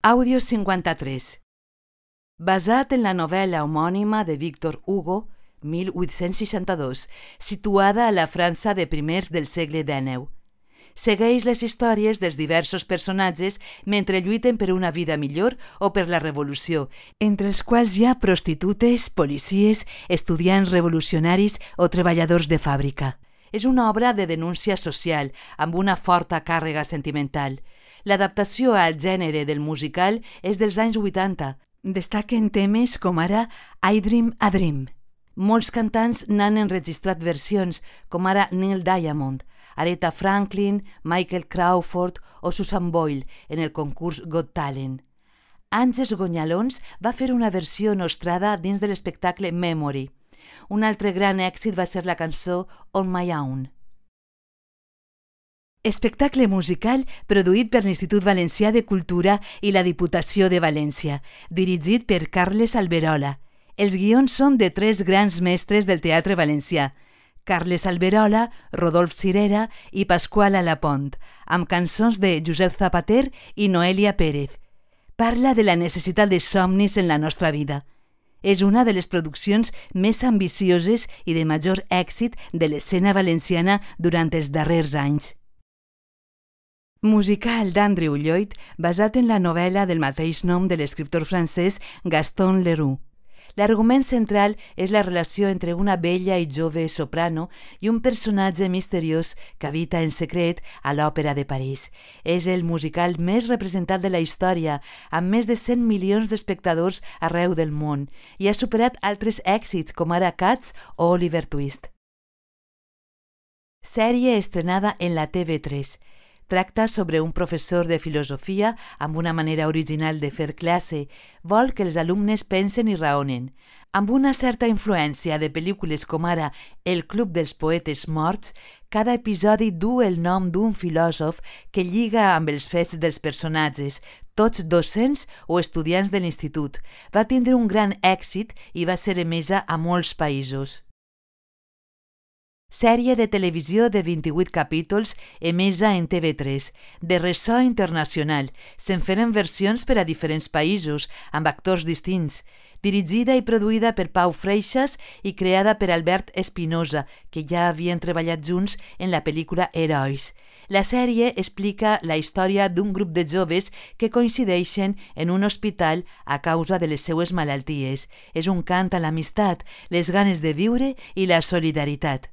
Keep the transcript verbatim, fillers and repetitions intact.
Àudio cinquanta-tres. Basat en la novel·la homònima de Victor Hugo, mil vuit-cents seixanta-dos, situada a la França de primers del segle dinou. Segueix les històries dels diversos personatges mentre lluiten per una vida millor o per la revolució, entre els quals hi ha prostitutes, policies, estudiants revolucionaris o treballadors de fàbrica. És una obra de denúncia social, amb una forta càrrega sentimental. L'adaptació al gènere del musical és dels anys vuitanta. Destaquen temes com ara I Dream a Dream. Molts cantants n'han enregistrat versions, com ara Neil Diamond, Aretha Franklin, Michael Crawford o Susan Boyle en el concurs Got Talent. Àngels Gonyalons va fer una versió nostrada dins de l'espectacle Memory. Un altre gran èxit va ser la cançó On My Own. Espectacle musical produït per l'Institut Valencià de Cultura i la Diputació de València, dirigit per Carles Alberola. Els guions són de tres grans mestres del teatre valencià, Carles Alberola, Rodolf Cirera i Pasqual Alapont, amb cançons de Josep Zapater i Noelia Pérez. Parla de la necessitat de somnis en la nostra vida. És una de les produccions més ambicioses i de major èxit de l'escena valenciana durant els darrers anys. Musical d'Andrew Lloyd basat en la novel·la del mateix nom de l'escriptor francès Gaston Leroux. L'argument central és la relació entre una bella i jove soprano i un personatge misteriós que habita en secret a l'Òpera de París. És el musical més representat de la història, amb més de cent milions d'espectadors arreu del món, i ha superat altres èxits com ara Cats o Oliver Twist. Sèrie estrenada en la T V tres. Tracta sobre un professor de filosofia amb una manera original de fer classe. Vol que els alumnes pensen i raonen. Amb una certa influència de pel·lícules com ara El Club dels Poetes Morts, cada episodi du el nom d'un filòsof que lliga amb els fets dels personatges, tots docents o estudiants de l'institut. Va tindre un gran èxit i va ser emesa a molts països. Sèrie de televisió de vint-i-vuit capítols emesa en T V tres, de ressò internacional. Se'n feren versions per a diferents països, amb actors distints. Dirigida i produïda per Pau Freixas i creada per Albert Espinosa, que ja havien treballat junts en la pel·lícula Herois. La sèrie explica la història d'un grup de joves que coincideixen en un hospital a causa de les seues malalties. És un cant a l'amistat, les ganes de viure i la solidaritat.